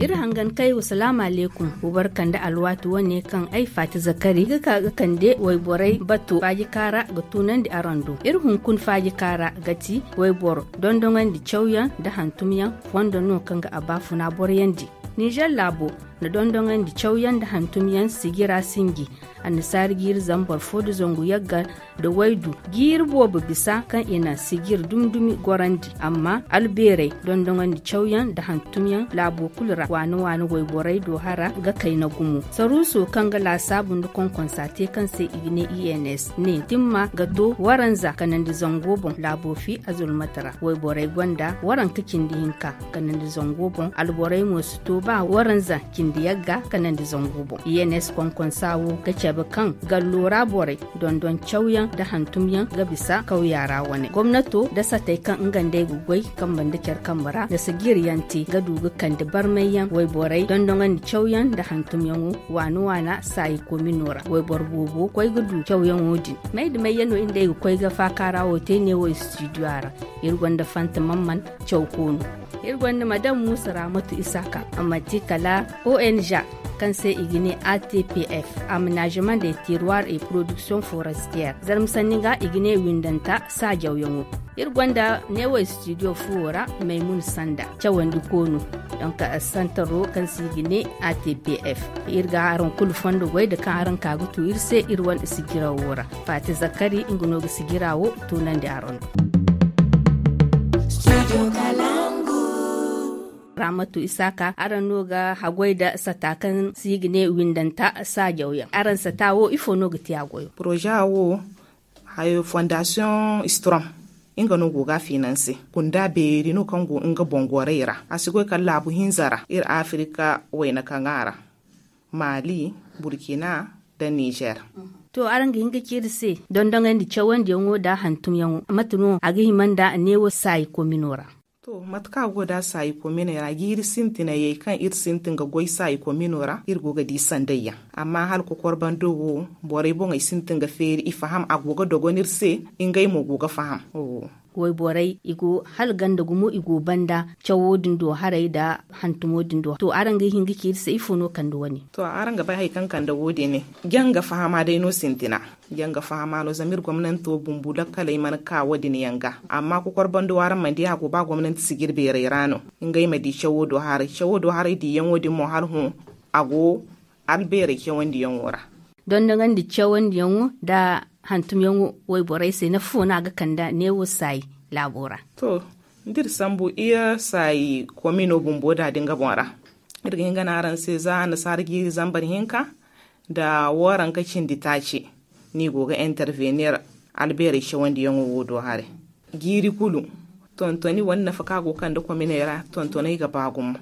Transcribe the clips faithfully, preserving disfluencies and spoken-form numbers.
Iri hangan kay wa salaamu aleykum. Wa barka nda alwaati wane kaŋ ay faati zakari ga ka ga kande wayborey bato faajika ra ga tunandi araŋ do. Iri hunkuna faajika ra ga ti wayboro dondoŋandi cawyaŋ nda hantumyaŋ fondo no kaŋ ga a baafuna boroyandi. Nizer laabo na dondoŋandi cawyaŋ nda hantumyaŋ sijira sinji annasaari jiiri zambar fo nda zangu yagga nda waydu jiiri boobo bisa kaŋ i na sijir dumi-dumi gorandi. Amma albeerey dondoŋandi cawyaŋ nda hantumyaŋ laabo kulu ra waani-waani wayborey do hara ga kayna gumo saruuso kaŋ ga laasaabu nda konkonsa te kaŋ se i ga ne i n s ne timma ga to waranza kanandi zango boŋ laabo fi azulmata ra wayborey gonda waranka cindi hinka kanandi zango boŋ alborey mo si to ba waranza cindi yagga kanandi zangu boŋ i n s konkonsa wo ga cabe kaŋ gallo ra borey dondon cawyaŋ nda hantumyaŋ ga bisa kawya ra wane gomnato nda satey kaŋ nga nd'ey ga goy kambe nda care kambe ra nda sijiryaŋ te ga du ga kande barmayyaŋ wayborey dondoŋandi cawyaŋ nda hantumyaŋo waana-waana saayi komino ra wayboro boobo koy ga du cawyaŋo din may da may yaŋ no iri nd'ey ga koy ga faaka ra wo te ne wo istidiyo ra iri gonda fanta mamman caw koonu iri gonda madam muusa raamatu isaaka a manti kala o n g kaŋ se i ga ne a t p f aménagement des terroirs et production forestière zarma sanni ga i ga ne windanta saajawyaŋo iri gonda neewo studio fuwo ra maymun sanda cawandi koonu donk santaro kaŋ se i ga ne a t p f iri ga araŋ kulu fondo goy da kaŋ araŋ ka ga tu iri se iri wane sijirawo ra faati zakari nga no ga sijira wo tunandi araŋ do raamatu isaaka araŋ no ga haggoy nda sata kaŋ se i ga ne windanta saajawyaŋ araŋ sata wo ifo no ga te a goyo poroza wo hayo fondasiyoŋ strom nga no go ga a finanse kunda beeri no kaŋ go nga boŋ gorey ra a si goy kala laabu hinza ra iri afirika wayna kaŋ a ra maali burkina nda nizer to araŋ ga hin ga ci iri se dondoŋandi cawandiyaŋo nda hantumyaŋo mate no a ga hima nda neewo saayi komino ra to mate kaŋ a go nda a saayi kominey ra jiiri sintinayey kaŋ iri sintin ga goy saayi komino ra iri go ga di sandayyaŋ amma hala kokor bando wo borey boŋey sintin ga feeri i faham a go ga dogon iri se ngey mo go ga faham wayborey i go hala ganda gumo i go banda cawo din do haray nda hantumo din do to araŋ ga hin ga ci iri se ifo no kande wane to araŋ ga bay hari kaŋ kande wo- din janga fahama day no sintina janga fahama no zama iri gomnanto bumbu lakkaley mana ka wo- din yaŋ ga amma kokor bando wo araŋ mana di a go ba gomnanti sijir beerey ra no ngey ma di cawo do haray cawo do haray diyaŋo din mo hala hõ a go albeerey cawandiyaŋo ra dondoŋandi cawandiyaŋo nda hantumyaŋo wayborey se nafa fo no a ga kande neewo saayi laabo ra to da iri sambu iri saayi komino bumbo da din ga boŋ ra iri ga hin ga ne araŋ se za annasaara jiiri zambar hinka nda waranka cindi taaci no i go ga intervenir albeerey cawandiyaŋo wo do haray jiiri kulu tontoni wane nafa kaŋ a go ga kande kominey ra tontoney ga ba gumo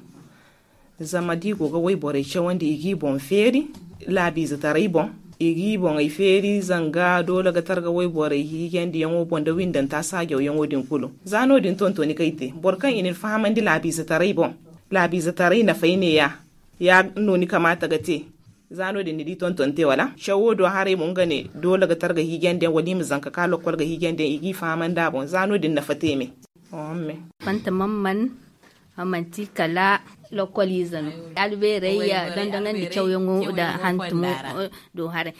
zama da i go ga wayborey cawandi i g'i boŋ feeri laabiizetaray boŋ i g'i boŋey feeri zanga doole ga targa wayborey hiijandiyaŋo boŋ nda windanta saajawyaŋo din kulu za no- din tontoni kaŋ i te boro kaŋ i na ni fahamandi laabiizetaray boŋ laabiizetaray nafay neeya ya no ni kamaata ga te za no- din ni di tonton te wala cawo do haray mo nga ne doole ga targa hiijandiyaŋ wala i ma zanka ka lokkol ga hiijandiyaŋ i g'i fahamandi a boŋ za no- din nafa te me fanta mamman a manti kala lokkoliize no albeerey dondoŋandi cawyaŋo nda hantumo do haray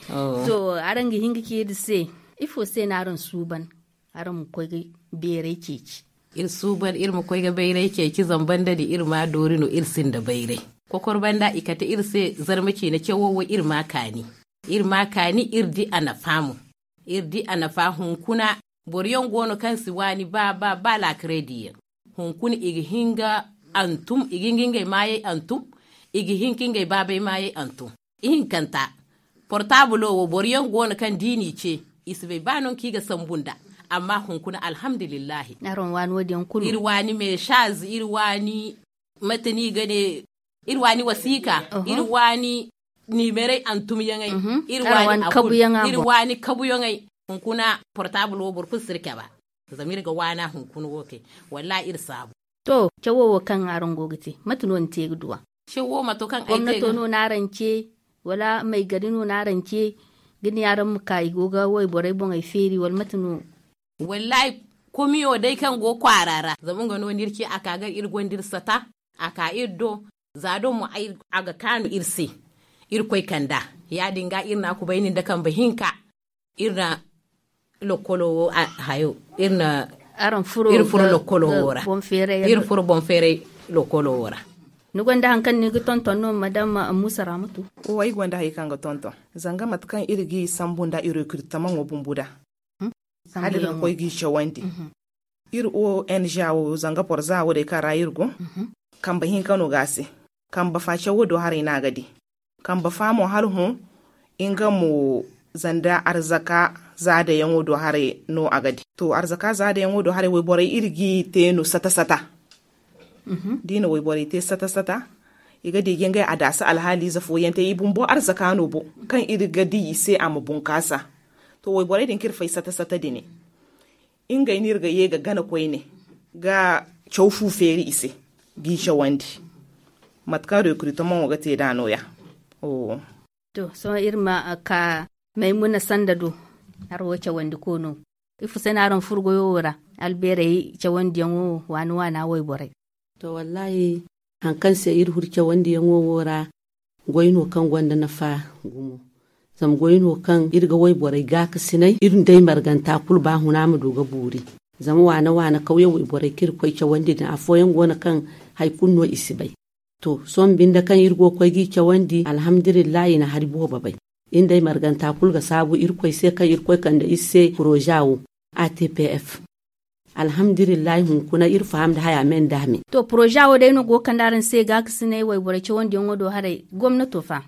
to araŋ ga hin ga ci iri se ifo se no araŋ suuban araŋ ma koy ga beeray ceeci iri suuban iri ma koy ga bayray ceeci zama banda din iri ma doori no iri sinda bayray kokor banda i kate iri se zarma ciine cawo wo iri ma kaani iri ma kaani iri di a nafa mo iri di a nafa hunkuna boro yaŋ go no kaŋ si waani ba ba ba laakaray diyaŋ hunkuna i ga hin ga antum i ga hin ga ngey maayey antum i ga hin ka ngey baabey maayey antum ihinkanta portabulo wo boro yaŋ go no kaŋ da i n'i ce i si bay ba nangu kaŋ i ga sambu nd'a amma hunkuna alhamdulillahi iri waani meesaz iri waani mate no i ga ne iri waani wasiika iri waani niimeray antumyaŋey iri waani kabuyaŋey hunkuna portabulo wo boro kulu si iri cabe zama iri ga waana hunkuna wo kay wallahi iri saabu to cawo wo kaŋ araŋ go ga te mate no ni te ga du a cawo mato kaŋ ay te gomnato no n'araŋ ce wala may gari no n'araŋ ce ga ne araŋ ma ka i go ga wayborey boŋey feeri wala mate no wallahi Komiyo day kaŋ go kwaara ra zama nga no no iri ci a ka ga iri gonda iri sata. A ka iri do za do mo a ga kaanu iri se. Iri koy kand'a ya- din ga iri na a kubayni nda kambe hinka. Iri na lokolo wo hayo iri na iri furo lokolo wo ra. Iri furo boŋ feeray lokolo wo ra. Ni gonda hari kaŋ ni ga tonton no madam musa ramatu? Wo ay gonda hari kaŋ ga tonton zanga mate kaŋ iri ga i sambu nda i rekiritaman wo bumbu da hala iri ga koy ga i cawandi. Iri o n g wo zanga boro za wo day kaŋ ra iri go. Kambe hinka no ga a se. Kambe fa cawo do haray no a ga di. Kambe fa mo hala hõ nga mo zanda arzaka za dayaŋo do haray no a ga di. To arzaka za dayaŋo do haray wayborey iri ga i te no sata sata. Da i na wayborey te sata sata i ga di ga ngey adaasa alhaaliize fooyaŋ te i bumbo arzaka no bo kaŋ iri ga di i se a ma bunkaasa. To wayborey din kaŋ iri fay sata sata din ngey no iri ga ye ga gana koyne ga caw fu feeri i se ga i cawandi. Mate kaŋ rekiritaman wo ga te nd'a nooya. To sohõ iri ma ka maymuna sanda do. Hari wo cawandi koono ifo se no araŋ furo goyo wo ra? Albeerey cawandiyaŋo waani waana wayborey. To wallaahi hari kaŋ se iri furo cawandiyaŋo wo ra goy no kaŋ gonda nafa gumo. Zama goy no kaŋ iri ga wayborey gaakasinay iri nda ay marganta kulu ba huna ma du ga buuri. Zama waana waana kawye wayborey kaŋ iri koy cawandi din afooyaŋ go no kaŋ hari kulu no i si bay. To sohõ binde kaŋ iri go ga koy ga i cawandi alhamdulillahi i na hari boobo bay. Iri nda ay marganta kulu ga saabu irkoy se kaŋ irkoy kande iri se poroza wo. A t p f. Alhamdulillahi hunkuna iri faham nda haya me nda me. To poroza wo day no go ga kande araŋ se gaakasinay wayborey cawandiyaŋo do haray gomnato fa?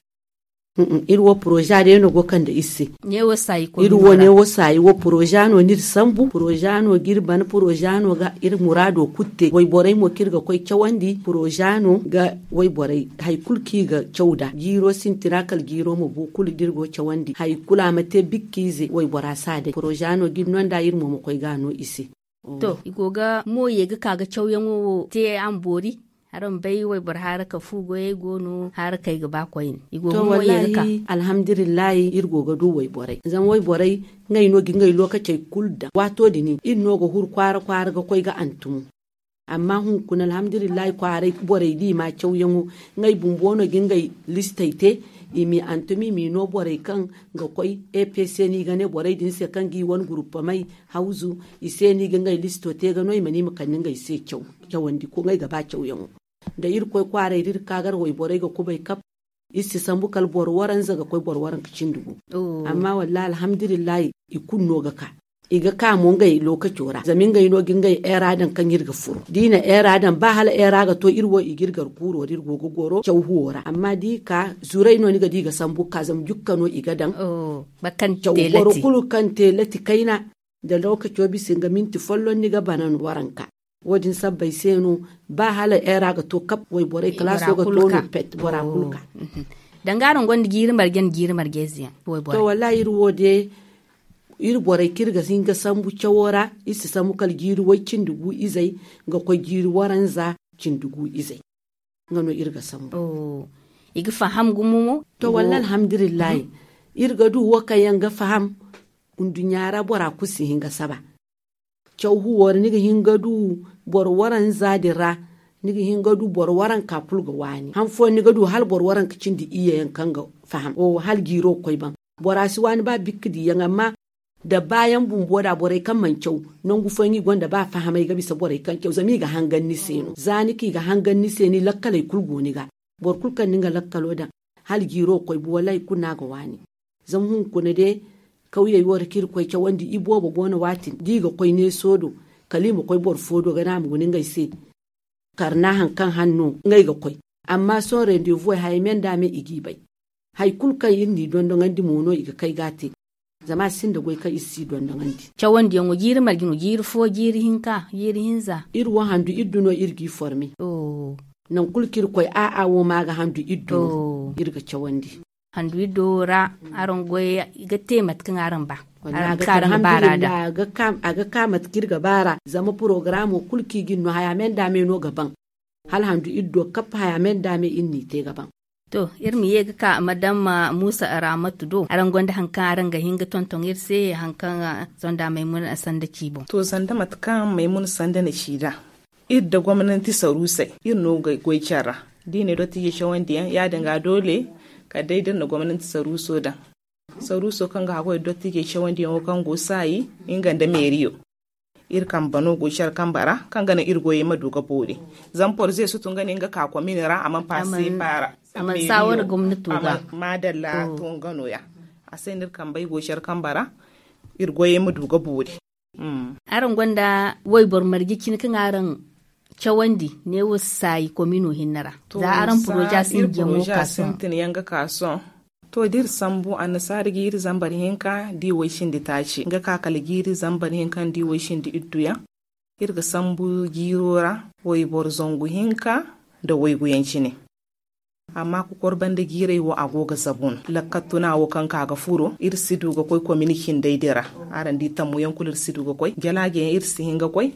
Iri wo poroza day no go ga kande iri se. Iri wo ne wo saayi wo poroza no no iri sambu poroza no ga iri bana poroza no ga iri muraado kulu te wayborey mo kaŋ iri ga koy cawandi poroza no ga wayborey hari kulu kaŋ i ga caw nd'a jiiro sintina kala jiiro ma bu kulu da iri go ga cawandi hari kulu a ma te bikka ize waybora si a day poroza no ga iri no nd'a iri mo ma koy ga a no i se. To i go ga mo ye ga ka ga cawyaŋo wo te a ma boori. Araŋ bay wayboro haaraka fu goyey go no haaraka ay ga ba koyne i go ga mo ye ga ka. Alhamdulillahi iri go ga du wayborey zama wayborey ngey no ga ngey lookacey kulu daŋ waato din iri no ga huru kwaara kwaara ga koy ga antumo. Amma hunkuna alhamdulillahi kwaaray borey da i ma cawyaŋo ngey bumbo no ga ngey listey te i m'i antum i m'i no borey kaŋ ga koy epc no i ga ne borey din se kaŋ ga i wane guruppamey hawzu i se no i ga ngey listo te ga no i ma ne i ma kande ngey se caw cawandi ko ngey ga ba cawyaŋo. Da irkoy kwaaray da iri ka gar wayborey ga kubay kab iri si sambu kala boro waranza ga koy boro waranka cindi gu. Amma wallahi alhamdulillahi i kulu no ga ka i ga ka mo ngey lookaco ra zama ngey no ga ngey eera daŋ kaŋ iri ga furo da i na eera daŋ ba hala eera ga to iri wo i ga iri gar kuuro da iri go ga goro caw huwo ra amma da i ka zuray no ni ga di i ga sambu ga ka zama jukka no i ga daŋ. Caw boro kulu kaŋ te lati kayna da lookaco bisa nga minti folloŋ ni ga bana no waranka. Wo- din sabbay se no ba hala eera ga to kab wayborey kalaaso ga to no pet bora kulu ka. Danga araŋ gonda jiiri marje nda jiiri marje ize yaŋ wayborey to wallahi iri wo de iri borey kaŋ iri ga hin ga sambu cawo ra iri si sambu kala jiiri way cindi gu izey ga koy jiiri waranza cindi gu izey. Nga no iri ga sambu i ga faham gumo mo. To wallahi alhamdulillahi iri ga du wo kaŋ yaŋ ga faham. Nduɲɲa ra bora kulu si hin ga saba caw huwo ra ni ga hin ga du boro waranza din ra ni ga hin ga du boro waranka kulu ga waani han fooyaŋ ni ga du hala boro waranka cindi iyye yaŋ kaŋ ga faham hala jiiro ga koy baŋ. Bora si waani ba bikka diiyaŋ amma da baayaŋ bumbo da borey kaŋ mana caw nangu fooyaŋ i gonda ba fahamay ga bisa borey kaŋ caw zama i ga hangan ni se no za ni ka i ga hangan ni se ni lakkaley kulu go ni ga. Boro kulu kaŋ na nga lakkalo daŋ hala jiiro ga koy bu wallaahi kulu no a ga waani. Zama hunkuna day kawyey wo ra kaŋ iri koy cawandi iboobo go no waati din da i ga koy neeso do kala i ma koy boro fo do ga ne a ma guna ngey se. Karna hari kaŋ han no ngey ga koy. Amma sohõ rendeevuwey hayey me nda a me i g'i bay. Hari kulu kaŋ iri n'i dondoŋandi mo no i ga kay ga a te. Zama a sinda goy kaŋ iri si dondoŋandi. Cawandiyaŋo jiiri marje no jiiri fo jiiri hinka jiiri hinza? Iri wo handu iddu no iri g'i forme. Nangu kulu kaŋ iri koy a'a wo ma a ga handu iddu no iri ga cawandi. Handu iddo wo ra araŋ goy ga te mate kaŋ araŋ ba. Araŋ ga ka araŋ ga baara da a ga ka mate kaŋ iri ga baara zama porogaramo kulu kaŋ i ga iri no haya me nda a me no ga baŋ. Hala handu iddo kap haya me nda a me iri n'i te ga baŋ. To, iri ma ye ga ka madam muusa araamatu do, araŋ gonda hari kaŋ araŋ ga hin ga tonton iri se, hari kaŋ sonda maymuna sanda ci boŋ? To, sanda mate kaŋ maymuna sanda na ci nd'a, iri nda gomnanti saruusey iri no ga goy care ra. Da i ne dottijey cawandi yaŋ, ya- din ga doole kala day da iri na gomnanti saruuso daŋ. Saruuso kaŋ ga haggoy dottijey cawandiyaŋo kaŋ go saayi, nga nda meeriyo, iri kambe no go care kambe ra kaŋ ga naŋ iri goyey ma du ga boori. Zama porze si tun ga ne nga ka komini ra a mana paase paara. A mana saawara gomnato ga. Maadalla. To nga no- ya a se no iri kambey go care kambe ra iri goyey ma du ga boori. Araŋ gonda wayboro marje cine kaŋ araŋ cawandi neewo saayi komino hinne ra? Za araŋ poroza sintin yaŋ ga ka sohõ. To, da iri sambu annasaari ga iri zambar hinka da i way cindi taaci nga ka kala ga iri zambar hinka nda i way cindi iddu yaŋ. Iri ga sambu jiiro ra wayboro zangu hinka nda waygu yaŋ cine. Amma kokor banda jiirey wo a go ga zabu no lakkal tuna wo kaŋ ka ga furo iri si du ga koy komini cindey din ra. Araŋ di tammu yaŋ kulu iri si du ga koy jalaaje yaŋ iri si hin ga koy.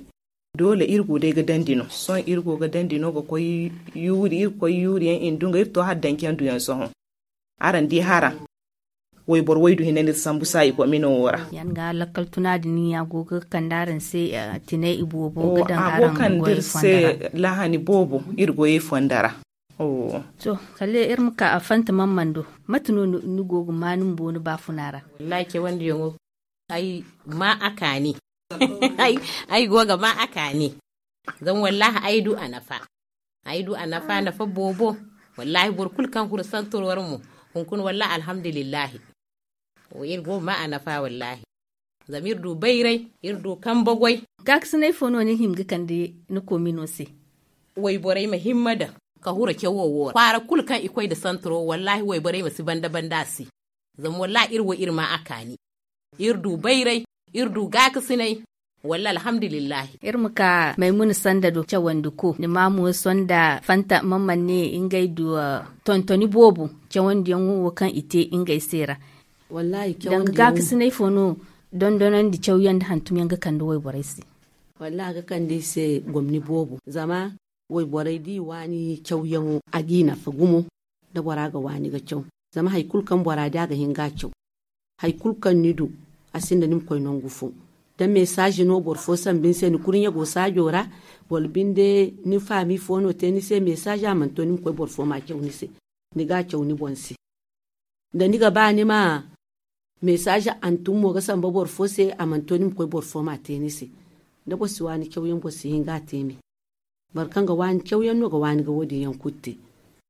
Doole iri go day ga dandi no sohõ iri go ga dandi no ga koy yuuri iri ga koy yuuri yaŋ i na du nga iri to hala danci yaŋ du yaŋ sohõ. Araŋ di hara wayboro waydu hinne no iri sambu saayi komino wo ra. Yaŋ ga lakkal tuna din ya go ga kande araŋ se tinay i boobo ga daŋ araŋ goyey fondo ra. Lahani boobo iri goyey fondo ra. To, kala iri ma ka a fanta mamman do. Mate no ni go ga ma ni bumbo ni baafuna ra? Wallahi cawandiyaŋo ay ma a kaani. Ay go ga ma a kaani. Zama wallahi ay du a nafa. Ay du a nafa nafa boobo. Wallahi boro kulu kaŋ huru santoro ra mo hunkuna wallahi alhamdulillahi. Iri go ga ma a nafa wallahi. Zama iri du bayray, iri du kambe goy. Gaakasinay fo no ni hima ga kande ni koomino se? Wayborey ma himma daŋ ka hura cawo wo ra kwaara kulu kaŋ i koy nda santaro wallahi wayborey ma si banda banda a se. Zama wallahi iri wo iri ma a kaani. Iri du bayray, iri du gaakasinay. Walla alhamdulillahi. Iri ma ka maymuna sanda do cawandi ko ni ma mo sonda fanta mamman ne ngey du tontoni boobo cawandiyaŋo wo kaŋ i te ngey se ra. Danga gaakasinay fo no dondonandi cawyaŋ nda hantumyaŋ ga kande wayborey se? Wallahi a ga kande i se gomni boobo zama wayborey da i waani cawyaŋo a g'i nafa gumo. Da bora ga waani ga caw zama hari kulu kaŋ bora di a ga hin ga a caw. Hari kulu kaŋ ni du a sinda ni ma koy nangu fo. Da mesazi no boro fo sambu ni se ni kurɲe go saajo ra, wala binde ni faami fo no te ni se mesazi a mana to ni ma koy boro fo ma a caw ni se. Ni ga a caw ni boŋ se. Da ni ga ba ni ma mesazi hantum mo ga samba boro fo se a mana to ni ma koy boro fo ma a te ni se. Da boro si waani cawyaŋ boro si hin ga a te me. Boro kaŋ ga waani cawyaŋ no ga waani ga wo- din yaŋ kulu te.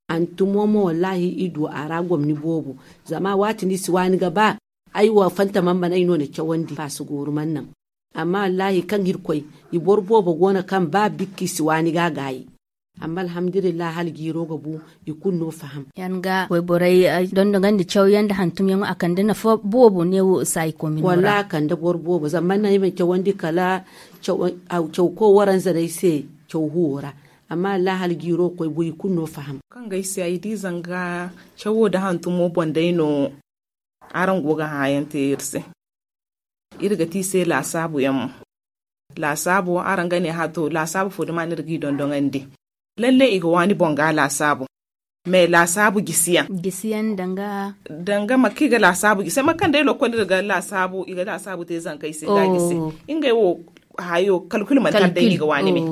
Hantumo mo wallahi i du a ra gomni boobo. Zama waati no i si waani ga ba ay wo fanta mana mana ay no na cawandi faasa gooru mana naŋ. Amma wallahi kaŋ irkoy i boro boobo go no kaŋ ba bikka i si waani ga a gaayi. Amma alhamdulillahi hala jiiro ga bu i kulu no faham. Yaŋ ga wayborey dondogandi cawyaŋ nda hantumyaŋo a kande nafa boobo neewo saayi koomino ra. Wala a kande boro boobo zama mana ay mana cawandi kala caw ko waranza no ay se caw huwo ra. Amma wallahi hala jiiro ga koy buy kulu no faham. Kaŋ ga ay se ay di zanga cawo nda hantumo boŋ day no. Araŋ go ga hããyaŋ te iri se. Iri ga ti i se laasaabu yaŋ mo. Laasaabo araŋ ga ne hã to laasaabu fo duma no iri g'i dondoŋandi? Lalle i ga waani boŋ ga laasaabo. Mais laasaabu jisiyaŋ. Jisiyaŋ danga. Danga mate kaŋ i ga laasaabu jisi mate kaŋ day lokol iri ga laasaabu i ga laasaabu te zankey se ga jisi. Ngey wo hayo kalkul manti hala day no i ga waani me.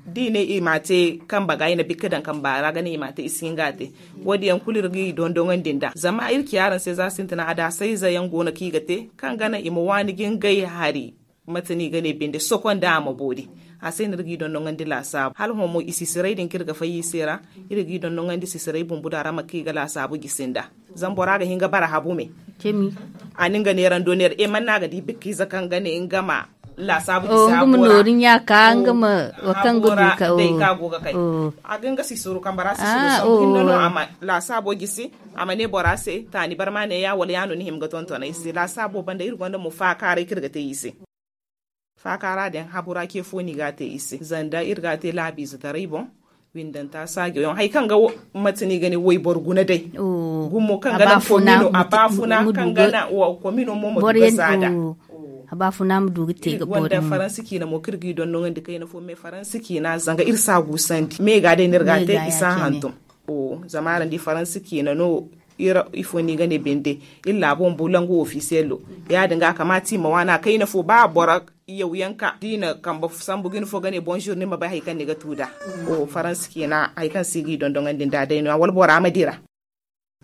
Da i ne i ma a te kambe ga i na bikka daŋ kambe ra ga ne i ma a te i si hin ga a te. Wo- din yaŋ kulu iri g'i dondoŋandi nd'a zama iri ci araŋ se za sintina adaasayze yaŋ go no kaŋ i ga te kaŋ ga naŋ i ma waani ga ngey hari. Mate no i ga ne binde sokonda a ma boori. A se no iri g'i dondoŋandi laasaabu hala hõ mo i sisiray din kaŋ iri ga fay i se ra. Iri g'i dondoŋandi sisiray bumbu da ra mate kaŋ i ga laasaabu jisi nd'a. Zama bora ga hin ga bara habu me. A na nga neerando neera e man no a ga di bikka ize kaŋ ga ne nga ma laasaabu jisi habo ra. Nga ma nooru ɲa ka nga ma wa kaŋ ga du ka day kaŋ a go ga kay. A ga nga sisuru kambe ra sisuru sambu hinne no a ma laasaabo jisi. A ma ne bora se taani barma ne ya wala ya no ni hima ga tonton ay se laasaabo banda iri gonda mo faakaaray kaŋ iri ga te i se. Faakaara din habu ra ce fo no i ga a te i se zanda iri ga a te laabiizetaray boŋ. Windanta saajo yaŋ hari kaŋ ga mate no i ga ne wayboro guna day. Gumo kaŋ ga naŋ komino a baafuna kaŋ ga naŋ komino mo ma du ga zaada. A baafuna ma du ga te ga boori mo. Faransi ciina mo kaŋ iri g'i dondoŋandi kayna fo me faransi ciina zanga iri si a guusandi me ga day no iri ga a te i si a hantum. Zama araŋ di faransa ciina no. Ifo no i ga ne binde iri laabo ma bu langu ofisiyello. Ya- din ga a kamaata i ma waana kayna fo ba boro yawyaŋ ka da i na kambe sambu ga ni fo ga ne bonzur ni ma bay hari kaŋ ni ga tu nd'a. Faransa ciina hari kaŋ se i g'i dondoŋandi nd'a day no- ya wala bora ma dira.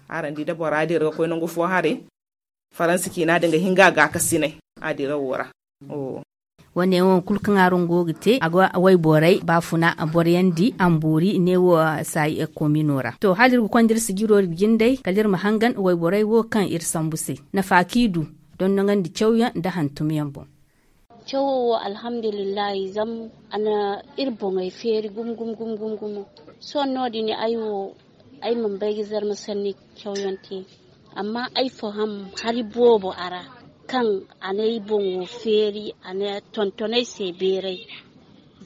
Araŋ di da bora dira ga koy nangu fo haray. Faransa ciina din ga hin ga a gaakasinay a dira wo ra. Wane wo kulu kaŋ araŋ go ga te a ga wayborey baafuna boryaŋ di a ma boori ne wo. Saayi komino ra to hala iri ga konda iri sijiro jindey kala iri ma hangan wayborey wo kaŋ iri sambu se nafa kaŋ i du dondoŋandi cawyaŋ nda hantumyaŋ boŋ. Cawo wo alhamdulillahi zama a na iri boŋey feeri gumo gumo gumo gumo. Sohõ no- din ay wo ay mana bay ga zarma sanni cawyaŋ te. Amma ay faham hari boobo a ra kaŋ a n'ay boŋo feeri a na tonton ay se beeray.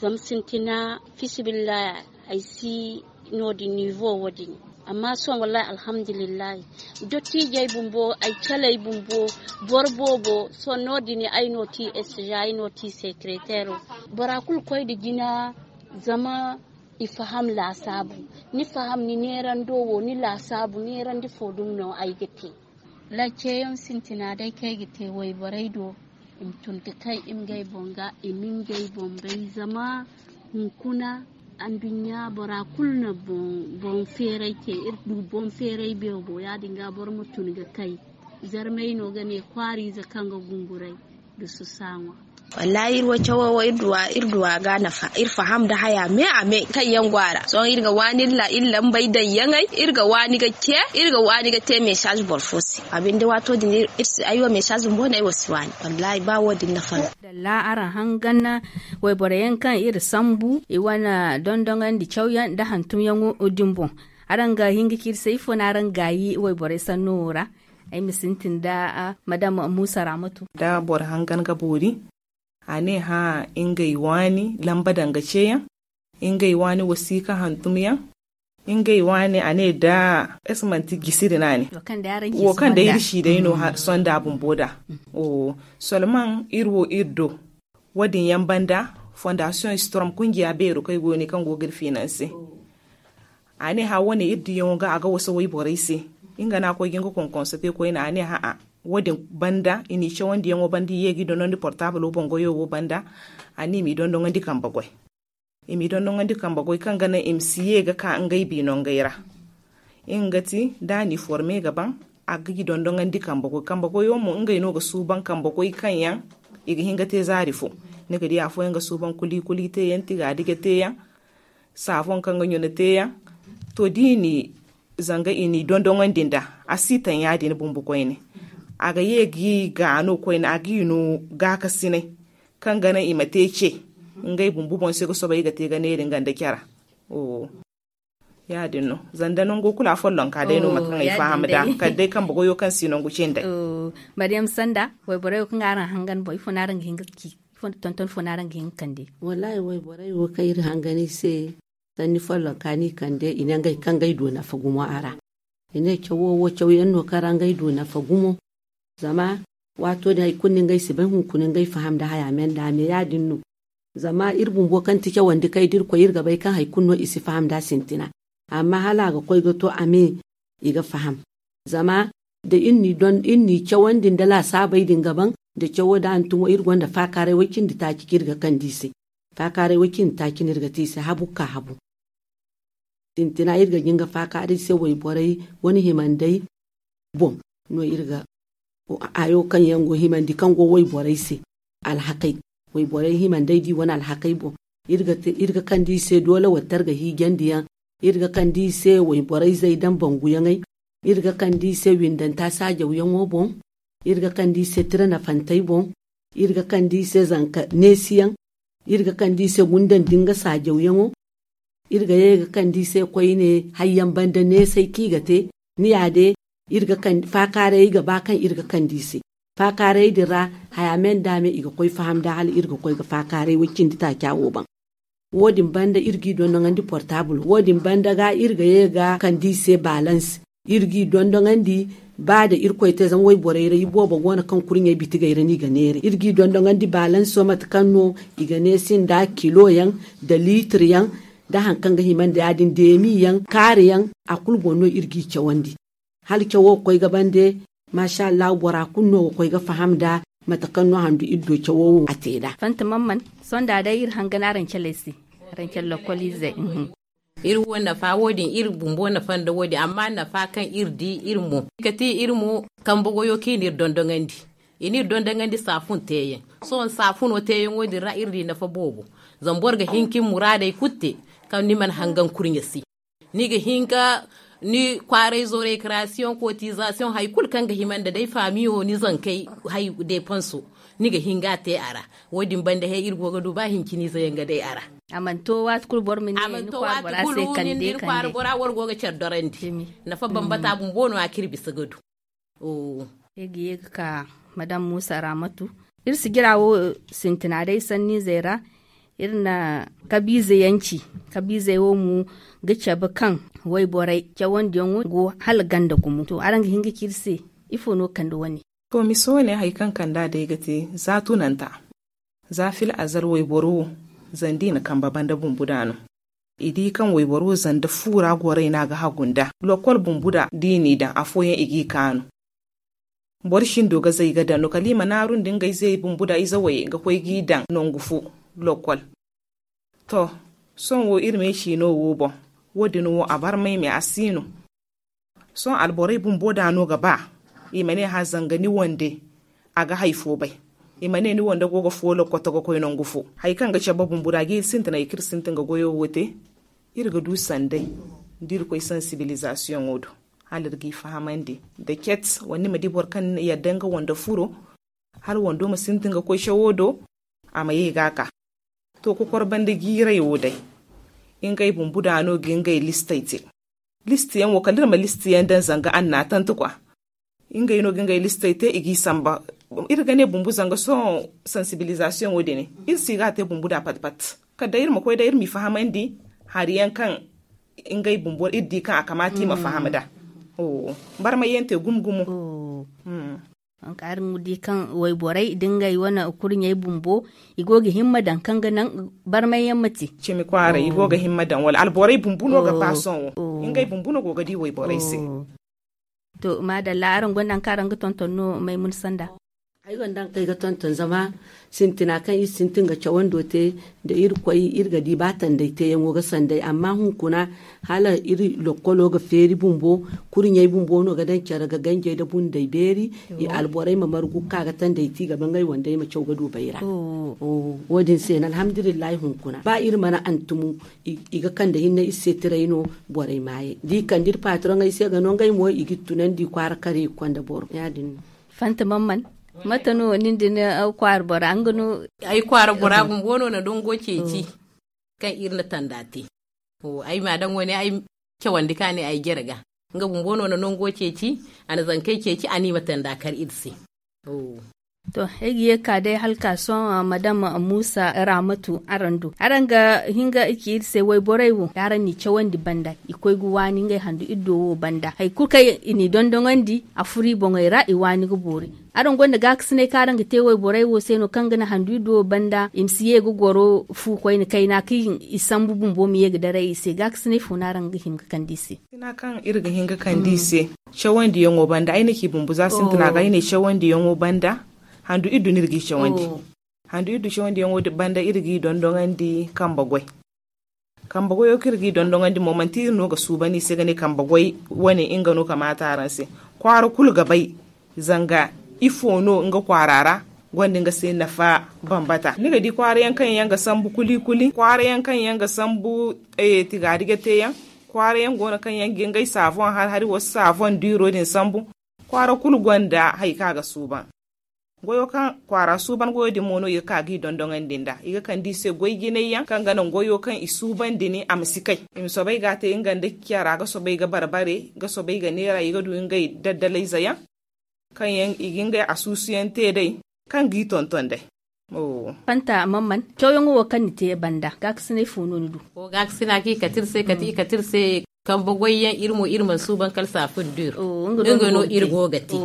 Zama sintina fisibillah ay si no- din nivo wo- din. Amma sohõ wallahi alhamdulillahi dottiijey bumbo ay caley bumbo boro boobo sohõ no- din ay no ti estiza ay no ti sekereteero. Bora kulu koy nda jina zama i faham laasaabu. Ni faham ni neerando wo ni laasaabu neerandi fo dumi no ay ga te. Laaceyaŋ sintina day kaŋ ay ga te wayborey do i ma tun ga kay i ma ngey boŋ ga i ma ngey boŋ bay zama hunkuna anduɲɲa bora kulu na boŋ feeray te iri du boŋ feeray beebo ya- din ga boro ma tun ga kay. Zarmey no ga ne kwaariize kaŋ ga gunguray nda susa ŋwa. Wallahi iri wo cawo wo iri duwa ga nafa iri faham nda haya me a me kaŋ yaŋ go a ra sohõ iri ga waani iri lambey daŋ yaŋey iri ga waani ga ce iri ga waani ga te mesaaz boro fo se. A binde waato din iri si ay wo mesaaz bumbo no ay wo si waani wallahi ba wo- din nafa no. Dalla araŋ hangan wayborey yaŋ kaŋ iri sambu i wane dondoŋandi cawyaŋ nda hantumyaŋo din boŋ. Araŋ ga hin ga ci iri se ifo no araŋ gaayi wayborey sanno wo ra? Ay ma sintin nda madam muusa raamatu. Da boro hangan ga boori a ne hã ngey waani lamba daŋ ga ceeyaŋ ngey waani wasiika hantumyaŋ ngey waani a ne da ay si manti jisiri no a ne wo kaŋ day iri si day no sonda bumbo da. Solman iri wo iri do wo- din yaŋ banda fondasiyoŋ storm kungiya beero kaŋ ay go ga ne kaŋ go ga iri finanse. A ne hã wane iri diyaŋo ga a ga wasa wayborey se nga no a koy ga nga konkonso te koyne a ne hã a wo- din banda i n'i cawandiyaŋo banda i ye ga i dondon nda portaabilo boŋ goyo wo banda. A ne i m'i dondoŋandi kambe goy i m'i dondoŋandi kambe goy kaŋ ga naŋ i ma si ye ga ka ngey biino ngey ra. Nga ga ti da a n'i forme ga baŋ a ga i dondoŋandi kambe goy kambe goyo mo ngey no ga suuban kambe goy kaŋ yaŋ i ga hin ga te zaari fo. Ni ga di afooyaŋ ga suuban kuli kuli teeyaŋ tiga dije teeyaŋ saafoŋ kaŋ ga ɲuna teeyaŋ. To da i n'i zanga i n'i dondoŋandi nd'a a si taŋ ya- din bumbo koyne. A ga ye ga i gaano koyne a ga i no gaakasinay kaŋ ga naŋ i ma te ce. Ngey bumbo boŋ se ga soobay i ga te ga neera nga nda care. Ya- din no zanda nango kulu a follonka day no mate kaŋ ay faham nd'a kala day kambe goyo kaŋ si nangu cindey. Maryam sanda wayborey wo kaŋ araŋ hangan boŋ ifo no araŋ ga hin ga ci? Ifo tonton fo no araŋ ga hin ga kande? Wallahi wayborey wo kaŋ iri hangan i se sanni follonka no i kande i ne ngey kaŋ ga ay du nafa gumo a ra. I ne cawo wo caw yaŋ no kaŋ ra ngey du nafa gumo. Zama waato din hari kulu no ngey si bay hunkuna ngey faham nda haya me nda me ya- din no. Zama iri bumbo kaŋ ti cawandi kaŋ ay da iri koy iri ga bay kaŋ hari kulu no i si faham nda sintina. Amma hala a ga koy ga to a me i ga faham. Zama da iri n'i cawandi nda laasaabey din ga baŋ nda cawo da hantumo iri gonda faakaaray way cindi taaci kaŋ iri ga kande i se. Faakaaray way cindi taaci no iri ga te i se habu ga ka habu. Sintina iri ga jin ga faakaaray se wayborey wane himandey boŋ no iri ga hayo kaŋ yaŋ go himandi kaŋ go wayborey se. Alhakey wayborey himandey di wane alhakey boŋ. Iri ga kande i se doole wattar ga hiijandi yaŋ. Iri ga kande i se wayborey zey daŋ banguyaŋey. Iri ga kande i se windanta saajawyaŋo boŋ. Iri ga kande i se tira nafantey boŋ. Iri ga kande i se zanka neesiyaŋ. Iri ga kande i se gundandi nga saajawyaŋo. Iri ga ye ga kande i se koyne hayyaŋ banda neesay kaŋ i ga te. Ni ya day iri ga kande faakaaray ay ga ba kaŋ iri ga kande i se. Faakaaray din ra haya me nda me i ga koy faham nda hala iri ga koy ga faakaaray way cindi taaca wo baŋ. Wo- din banda iri g'i dondoŋandi portaabul wo- din banda ga iri ga ye ga kande i se baalans. Iri g'i dondoŋandi ba da irkoy te zama wayborey ra iboobo go no kaŋ kurɲey bitigey ra no i ga neera iri g'i dondoŋandi baalanso mate kaŋ no i ga neesi nda kilo yaŋ nda liitir yaŋ. da hari kaŋ ga hima nda ya- din deemi yaŋ kaari yaŋ. A kulu boŋ no iri g'i cawandi hala cawo ga koy ga bande. Maasa allahu bora kulu no ga koy ga faham nda mate kaŋ no handu iri do cawo wo a te nd'a. Fanta man man sonda day iri hangan araŋ caley se. Araŋ cala lokoliizey. Iri wo nafa wo- din iri bumbo nafa nda wo- din amma nafa kaŋ iri di iri mo, kati iri mo kambe goyo kaŋ i n'iri dondoŋandi. I n'iri dondoŋandi saafun teeyaŋ. Sohõ saafuno teeyaŋo din ra iri di nafa boobo. Zama boro ga hin ka ni muraadey kulu te kaŋ ni mana hangan kurɲe se. Ni ga hin ka ni kwaarayzo rekrasiyoŋ kotizasiyoŋ hari kulu kaŋ ga hima nda day faamiyo ni zankey hari deepanso. Ni ga hin ga a te a ra. Wo- din banda he iri go ga du ba hinciniize yaŋ ga day a ra. A mana to waati kulu boro ma ni kwaara bora se kande kande. Bora wala go ga care dorandi. Nafa bambata bumbo no a kaŋ iri bisa ga du. Iri ga ye ga ka madam muusa raamatu. Iri sijira wo sintina day sanniizey ra. Iri na kabiize yaŋ ci. Kabiizey wo mo ga cabe kaŋ wayborey cawandiyaŋo go hala ganda gumo to araŋ ga hin ga ci iri se? Ifo no kande wane? To misa wane hari kaŋ kand'a day ga te za tunanta. Za fil azal wayboro wo zanda i na kambe banda bumbu da no. I di kaŋ wayboro zanda fu ra goray no a ga hagu nda lokol bumbu da da i n'i daŋ afooyaŋ i g'i kaanu. Boro sindo ga zay ga daŋ no kala i ma naaru nda ngey zay bumbu da ize way ga koy g'i daŋ nangu fo. Lokol. To, sohõ wo iri me ciino wo boŋ. Wo- din wo a barmay me a si no. Sohõ alborey bumbo da no ga ba i ma ne hã zanga ni wande a ga hari fo bay. I ma ne ni wande go ga foolo koto ga koy nangu fo. Hari kaŋ ga cabe bumbo da ga iri sintin ga goyo wo te. Iri ga du sanday da iri koy sansibilizasiyoŋo do hala iri g'i fahamandi. Da ket wala ni ma di boro kaŋ yadda nga wande furo hala wando ma sintin ga koy cawo do. A ma ye ga a ka. To kokor banda jiiray wo day ngey bumbu da no ga ngey listey te. Listi yaŋ wo kala iri ma listi yaŋ daŋ zanga annatanti kwa. Ngey no ga ngey listey te i g'i samba. Iri ga ne bumbu zanga sohõ sansibilizasiyoŋo din iri si ga a te bumbu da pat pat kala day iri ma koy day iri m'i fahamandi. Hari yaŋ kaŋ ngey bumbo iri di kaŋ a kamaata i ma faham da. Barmay yaŋ te gumo gumo. Hari nga di kaŋ wayborey da ngey wane kurɲey bumbo i go ga himma daŋ kaŋ ga naŋ barmay yaŋ ma te. Cimi kwaaray i go ga himma daŋ wala alborey bumbu no ga ba sohõ wo. Ngey bumbu no go ga di wayborey se. To maadalla araŋ gonda haŋ kaŋ araŋ ga tonton no maymuna sanda? Ay gonda haŋ kaŋ ay ga tonton zama sintina kaŋ iri sintin ga cawando te nda iri koy iri ga di ba tanday teeyaŋo ga sanday amma hunkuna hala iri lokkolo ga feeri bumbo. Kurɲey bumbo no ga daŋ care ga ganjey nda bunday beeri. I alborey ma margu ga ka ga tanday te i ga ba ngey wandey ma caw ga du bayra. Wo- din se no alhamdulillahi hunkuna ba iri mana antumu i ga kande hinne iri se tiray no. Borey maayey da i kande iri patroŋey se ga no ngey mo i g'iri tunandi kwaara kare i ga konda boro ya- din no. Fanta man man mate no nin da ni kwaara bora nga no? Ay kwaara bora bumbo no na dongo ceeci kaŋ iri na tanda te. Ay ma daŋ wane ay cawandi ka ne ay jere ga nga bumbo no na nango ceeci a na zankey ceeci a na i ma tanda kar iri se. To ay ga ye ga ka day hala ka sohõ madam muusa raamatu araŋ do araŋ ga hin ga ci iri se wayborey wo da araŋ n'i cawandi banda i koy ga waani ngey handu iri do wo banda hari kulu kaŋ i n'i dondoŋandi a furo i boŋey ra i waani ga boori. Araŋ gonda gaakasinay kaŋ araŋ ga te wayborey wo se no kaŋ ga naŋ handu iri do wo banda i ma si ye ga goro fu koyne kayna kaŋ i sambu bumbo ma ye ga daray i se gaakasinay fo no araŋ ga hin ga kande i se? Gaakasina kaŋ iri ga hin ga kande i se cawandiyaŋo banda ay na ci bumbo za sintina ga ay ne cawandiyaŋo banda. Handu iri du no iri g'i cawandi. Handu iri du cawandiyaŋo banda iri g'i dondoŋandi kambe goy. Kambe goyo kaŋ iri g'i dondoŋandi mo manti iri no ga suuban i se ga ne kambe goy wane nga no kamaata araŋ se. Kwaara kulu ga bay zanga ifo no nga kwaara ra gonda nga se nafa. Bambata ni ga di kwaara yaŋ kaŋ yaŋ ga sambu kuli kuli kwaara yaŋ kaŋ yaŋ ga sambu tigaari ga te yaŋ kwaara yaŋ go no kaŋ yaŋ ga ngey saavoŋ har hari wo si saavoŋ diiro din sambu. Kwaara kulu gonda hari kaŋ a ga suuban. Goyo kaŋ kwaara suuban goyo din mo no i ga ka g'i dondoŋandi nd'a i ga kande i se goy jinay yaŋ kaŋ ga naŋ goyo kaŋ i suuban din a ma si kay. I ma soobay ga a te nga nda care a ga soobay ga barbare ga soobay ga neera i ga du ngey daddalayze yaŋ kaŋ yaŋ i ga ngey asuusu yaŋ te day kaŋ g'i tonton day. Fanta man man cawyaŋo wo kaŋ ni te banda gaakasinay fo no ni du? Gaakasina kaŋ i kate iri se kate i kate iri se kambe goy yaŋ iri mo iri mana suuban kala saafun diiro. Nga no iri go ga te.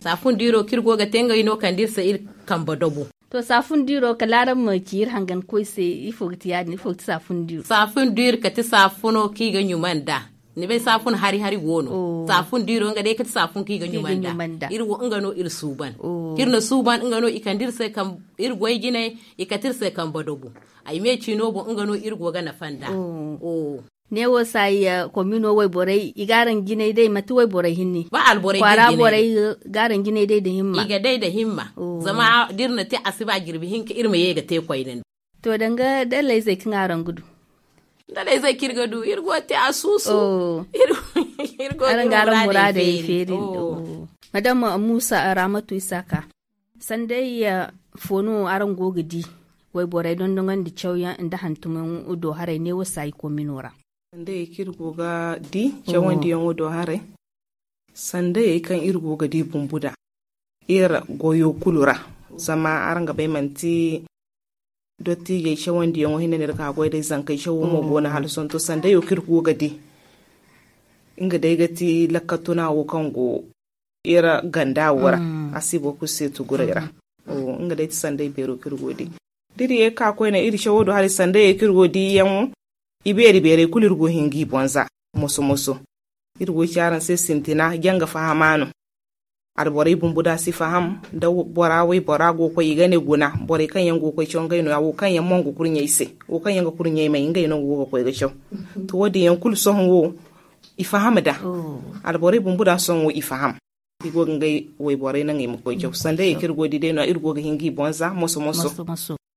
Saafun diiro kaŋ iri go ga te ngey no kande iri se iri kambe dobo. To, saafun diiro kala araŋ ma ci iri hangan koy se. Ifo ga ti ya- din ifo ga ti saafun diiro? Saafun diiro kati saafuno kaŋ i ga ɲuma nd'a. Ni bay saafun hari hari go no. Saafun diiro nga day kati saafun kaŋ i ga ɲuma nd'a. Iri wo nga no iri suuban. Kaŋ iri na suuban nga no i kande iri se iri goy jinay. I kati iri se kambe dogu. Ay me ciino boŋ nga no iri go ga nafa nd'a. Neewo saayi komino wayborey i ga araŋ jinay day manti wayborey hinne. Kwaara borey ga araŋ jinay day nda himma. Zama da iri na te a si ba jirbi hinka iri ma ye ga te koyne nda. To danga dallayzey kaŋ araŋ ga du? Dallayzey kaŋ iri ga du iri go ga te a suusu. Iri go ga iri muraadey feeri nda. Madam muusa ramatu isaaka, sanday fo no araŋ go ga di wayborey dondonandi cawyaŋ nda hantumyaŋ do haray neewo saayi komino ra? Sandayey kaŋ iri go ga di cawandiyaŋo do haray. Sandayey kaŋ iri go ga di bumbu nd'a iri goyo kulu ra. Zama araŋ ga bay manti dottiijey cawandiyaŋo hinne no iri ga goy day zankey cawo mo go no hala sohõ to sandayo kaŋ iri go ga di. Nga day ga ti lakkal tuna wo kaŋ go iri ganda wo ra. A si boro kulu se tuguray ra. Nga day ti sanday beero kaŋ iri go ga di da iri ye ga ka koyne iri cawo do haray sandayey kaŋ iri go ga di yaŋo. I beeri beerey kulu iri go ga hin ga i boŋ za moso moso. Iri go ga ci araŋ se sintina janga fahama no. Alborey bumbo da si faham da bora waybora go ga koy i ga ne guna. Borey kaŋ yaŋ go ga koy caw ngey no ya wo kaŋ yaŋ mo nga kurɲey se. Wo kaŋ yaŋ ga kurɲey may ngey no nga go ga koy ga caw. To wo- din yaŋ kulu sohõ wo i faham nd'a. Alborey bumbo da sohõ wo i faham. I go ga ngey wayborey naŋ i ma koy caw sanda ye kaŋ iri go ga di day no- ya iri go ga hin ga i boŋ za moso moso.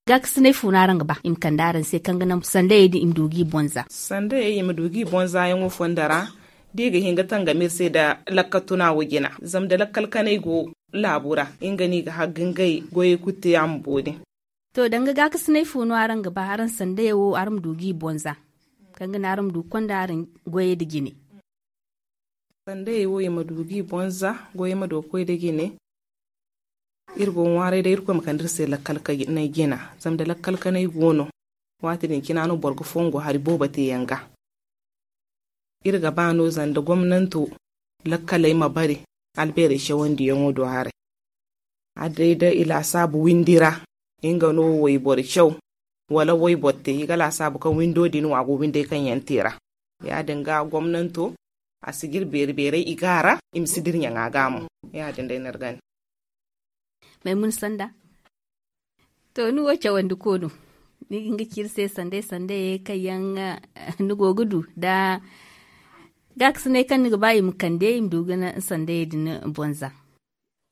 Gaakasinay fo no araŋ ga ba i ma kande araŋ se kaŋ ga naŋ sandayey din i ma du ga i boŋ za? Sandayey i ma du ga i boŋ za yaŋo fondo ra da i ga hin ga tangam iri se nda lakkal tuna wo jina. Zama nda lakkal kanay go laabu ra nga no i ga hagga ngey goyey kulu te a ma boori. To danga gaakasinay fo no araŋ ga ba araŋ sandayey wo araŋ ma du ga i boŋ za kaŋ ga naŋ araŋ ma du ga konda araŋ goyey nda jine? Sandayey wo i ma du ga i boŋ za goyey ma du ga koy nda jine. Iri go ga ŋwaaray day irkoy ma kande iri se lakkal kanay jina. Zama nda lakkal kanay go no waati din cina no boro ga fongo hari boobo te yaŋ ga. Iri ga ba no zama nda gomnanto lakkaley ma bare albeerey cawandiyaŋo do haray. Hala day da i laasaabu windi ra nga no wayboro caw wala wayboro te i ga laasaabu kaŋ windo din wo a go windey kaŋ yaŋ te ra. Ya- din ga gomnanto a si ga iri beeri beeray i ga a ra i ma si dira ɲaŋa ga mo. Ya- din day no iri ga ne. Maymuna sanda. To ni wo cawandi ko no ni ga hin ga ci iri se sanday sanday kaŋ yaŋ ni go ga du nda gaakasinay kaŋ ni ga ba i ma kande i ma du ga ni sandayey din boŋ za?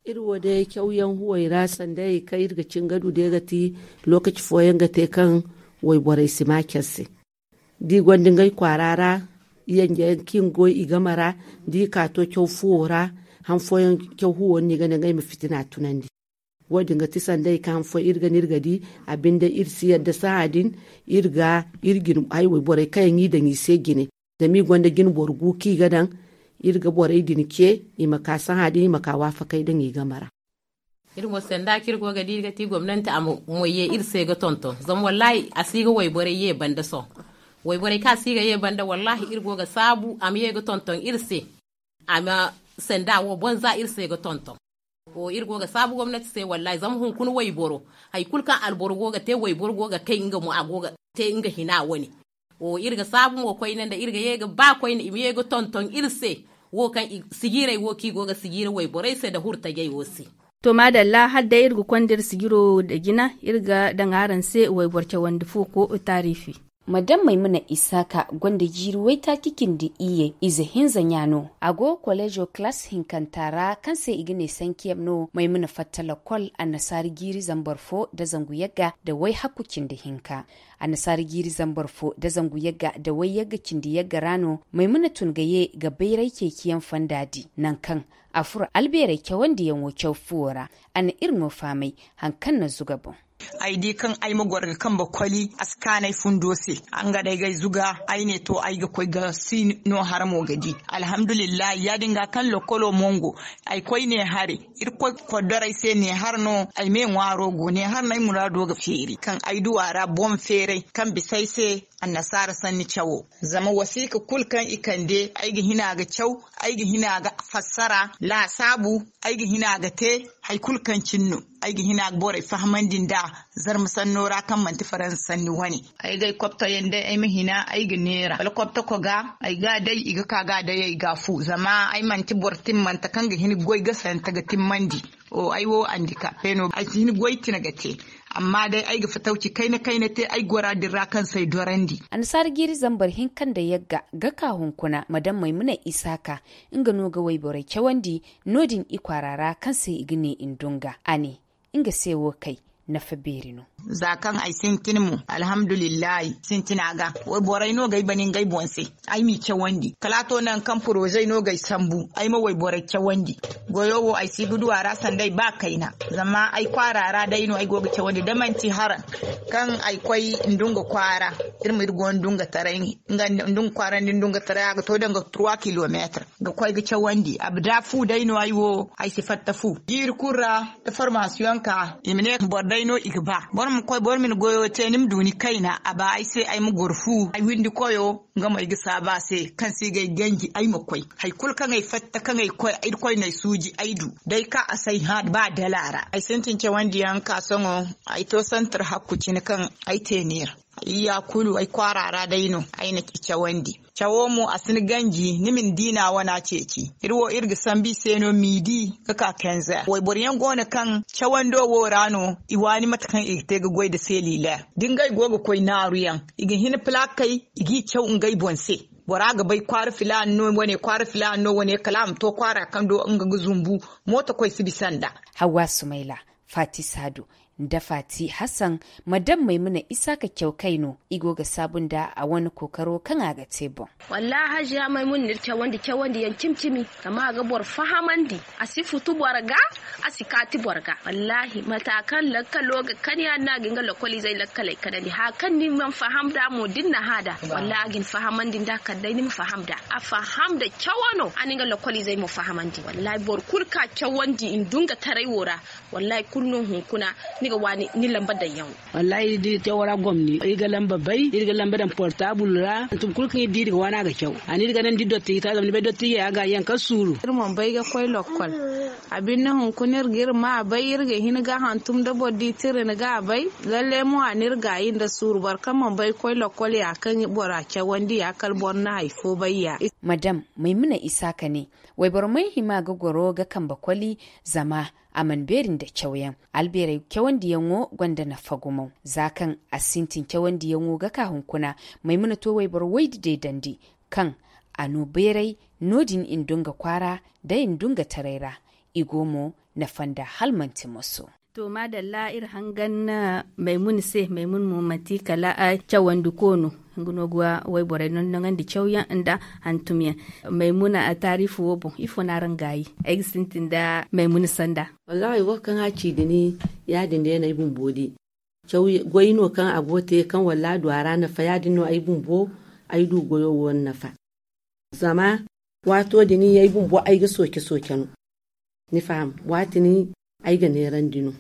Iri wo day cawyaŋ huwey ra sandayey kaŋ iri ga cin ga du day ga ti lookaci fooyaŋ ga te kaŋ wayborey si ma care se. Da i gonda ngey kwaara ra yanje yaŋ kaŋ i ga goy i game ra da i ka to caw fuwo ra. Han fooyaŋ caw huwo no i ga ne ngey ma fitina tunandi. Wo- din ga ti sandayey kaŋ han fooyaŋ iri ga ne iri ga di a binde iri si yadda sahã din iri ga iri jine haywey borey kaŋ yaŋ i daŋ i se jine. Zama i gonda jine boro gu kaŋ i ga daŋ iri ga borey din ce i ma ka sahã din i ma ka waafakey daŋ i game ra. Iri mo sanda kaŋ iri go ga di iri ga ti gomnanti a ma moy ye iri se ga tonton zama wallaahi a si ga wayborey ye banda sohõ. Wayborey kaŋ a si ga ye banda wallaahi iri go ga saabu a ma ye ga tonton iri se. A ma sanda wo boŋ za iri se ga tonton. Iri go ga saabu gomnati se wallaahi zama hunkuna wayboro hari kulu kaŋ alboro go ga te wayboro go ga kay nga mo a go ga te nga hina wane. Iri ga saabu mo koyne nda iri ga ye ga ba koyne i ma ye ga tonton iri se wo kaŋ sijiirey wo kaŋ i go ga sijiiri wayborey se nda hurtajey wo se. To maadalla hala day iri ga konda iri sijiro nda jina iri ga daŋ araŋ se wayboro cawandi fuuko taariifi. Madam maymuna isaaka gonda jiiri waytaaci cindi iyye ize hinza ɲa no. A go koleezo kalaas hinkanta ra kaŋ se i ga ne sankiyem no maymuna fatta lakkol annasaara jiiri zambar fo nda zangu yagga nda wayhakku cindi hinka. Annasaara jiiri zambar fo nda zangu yagga nda wayyagga cindi yagga ra no maymuna tun ga ye ga bayray ceeciyaŋ fonda di nangu kaŋ a furo albeerey cawandiyaŋo caw fuwo ra. A na iri no fahamay hari kaŋ na zuga boŋ. Ay di kaŋ ay ma goro ga kambe koli a si kaanu ay fundo se. Nga day ga ay zuga ay ne to ay ga koy ga si no hara mo ga di. Alhamdulillahi ya- din ga kaŋ lokkolo mongo ay koy ne hare. Irkoy koddoray se ne hara no ay me ŋwaaro go ne hara no ay muraado ga feeri kaŋ ay du a ra boŋ feeray kaŋ bisa ay se annasaara sanni cawo. Zama wasiika kulu kaŋ i kande ay ga hina ga caw ay ga hina ga fassara laasaabu ay ga hina ga te. Hari kulu kaŋ cine no, ay ga hina ga borey fahamandi nd'a. Zarma sanno ra kaŋ manti faransa sanni wane. Ay ga ay kopto yaŋ day ay ma hina ay ga neera wala kopto koga ay ga a day i ga ka ga a day ay ga a fu zama ay manti boro timmante kaŋ ga hin ga goy gasante ga timmandi. Ay wo andikape no ay si hin goy tine ga te. Amma day ay ga fatawci kayna kayna te ay gora din ra kaŋ se ay dorandi. Annasaara jiiri zambar hinka nda yagga ga ka hunkuna madam maymuna isaaka, nga no ga wayborey cawandi no- din i kwaara ra kaŋ se i ga ne i ndunga a ne nga se wo kay nafa beeri no. Za kaŋ ay sintin mo alhamdulillahi sintina ga wayborey no ga ay bane ngey boŋ se. Ay m'i cawandi kala a to nangu kaŋ poroze no ga ay sambu ay ma wayborey cawandi. Goyo wo ay si ga du a ra sanda ay ba kayna. Zama ay kwaara ra day no ay go ga cawandi da manti haraŋ kaŋ ay koy ndunga kwaara. Iri ma iri go ndunga taray ndunga kwaara nda ndunga taray a ga to danga trois kilometre ga koy ga cawandi abada fu day no ay wo ay si fatta fu jiiri kulu ra. Da formasiyoŋ ka i ma ne boro day no i ga ba boro ma koy boro ma ni goyo te ni ma du ni kayna a ba ay se ay ma goro fu ay windi koyo. Nga mo ay ga saabu a se kaŋ se i ga ay ganji ay ma koy hari kulu kaŋ ay fatta kaŋ ay koy irkoy no ay suuji ay du. Day ka a se ay hã ba dala ra ay sintin cawandi yaŋ ka sohõ ay to santar hakku cine kaŋ ay te neera. Iyya kulu ay kwaara ra day no ay na i cawandi. Cawo mo a si ni ganji ni ma ni diina wana ceeci iri wo iri ga sambu i se no miidi ga ka kenze wayboro yaŋ go no kaŋ cawando wo ra no i waani mate kaŋ i ga te ga goy nda seliler da ngey go ga koy naaru yaŋ i ga hin pilakey i g'i caw ngey boŋ se. Bora ga bay kwaara filaana no wane kwaara filaana no wane kala a ma to kwaara kaŋ do nga ga zumbu. Mooto koy si bisa nd'a. Hawwa sumayla, faati saadu, nda faati hassan, ma daŋ maymuna isaaka caw kay no i go ga saabu nda a wane kookaro kaŋ a ga te boŋ. Wallaahi haziya maymuna ni cawandi cawandi yaŋ cimi cimi. Zama a ga boro fahamandi a si futu boro ga a si kaati boro ga wallaahi mata kaŋ lakkalo ga kan ya- din no a ga hin ga lakkoliizey lakkaley kanandi haya kaŋ ni mana faham nd'a mo da ni na hã nd'a. Wallaahi a ga ni fahamandi nd'a kala day ni ma faham nd'a. A faham nda cawo no a na nga lakkoliizey mo fahamandi wallaahi boro kulu ka cawandi nda nga taray wo ra. Wallaahi kulu no hunkuna ni ga waani ni lamba daŋ yaŋo. Wallaahi iri di cawo ra gomni iri ga lamba bay iri ga lamba daŋ portaabul ra hantum kulu kaŋ iri di iri ga waani a ga caw. A ne iri ga naŋ da iri dottiji ta zama ni bay dottijey a ga yaŋ kaŋ suuru. Iri mana bay ga koy lokkol. A binde hunkuna iri ga iri ma a bay iri ga hin ga hantum da boro di tira ni ga a bay. Lalle mo a ne iri gaayi nda suuru boro kaŋ mana bay ga koy lokkol ya kaŋ bora cawandi ya kala boro na hari fo bay ya. Madam maymuna isaaka ne, wayboro mana hima ga goro ga kambe koli. Zama a mana beeri nda cawyaŋ. Albeerey cawandiyaŋo gonda nafa gumo za kaŋ a sintin cawandiyaŋo ga ka hunkuna. Maymuna to wayboro waydi deedandi kaŋ a no beeray no- din i nda nga kwaara da i nda nga taray ra. I go mo nafa nda hala manti moso. To maadalla iri hangan maymuna se maymuna mo manti kala cawandiko no. Nga no ga wayborey nonnoŋandi cawyaŋ nda hantumyaŋ. Maymuna taariifu wo boŋ ifo no araŋ gaayi? Ay ga sintin nda maymuna sanda. Wallaahi wo kaŋ a ci da ni ya- din day no ay bumbo di. Goy no kaŋ a go ga te kaŋ wallaahi a du a ra nafa ya- din no ay bumbo ay du goyo wo nafa. Zama waato din ay bumbo ay ga sooke sooke no. Ni faham waati ni ay ga neerandi no.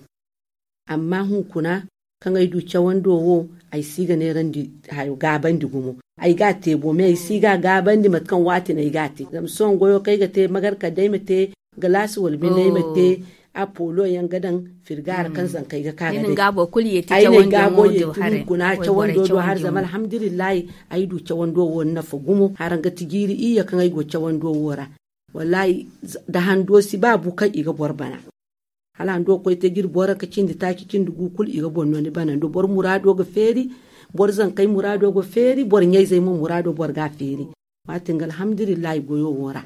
Amma hunkuna kaŋ ay du cawando wo ay si ga neerandi hayo gaabandi gumo. Ay ga a te bo me ay si ga a gaabandi mate kaŋ waati no ay ga a te zama sohõ goyo kaŋ ay ga te magarka day ma te galaasi wala binde ay ma te. Apolo yaŋ ga daŋ firga ra kaŋ zankey ga ka ga day ay na ay ga boy ye ti hunkuna cawando do har zama alhamdulillahi. Ay du cawando wo nafa gumo haraŋ ga ti jiiri iyye kaŋ ay go cawando wo ra. Wallaahi da hando si ba bu kaŋ i ga boro bana. Hala hando ga koy te ga iri boro ka cindi taaci cindi gu kulu i ga boro no ni bana nda boro muraado ga feeri. Boro zankey muraado ga feeri boro ɲayzey mo muraado boro ga a feeri. Waatin ga alhamdulillahi goyo wo ra.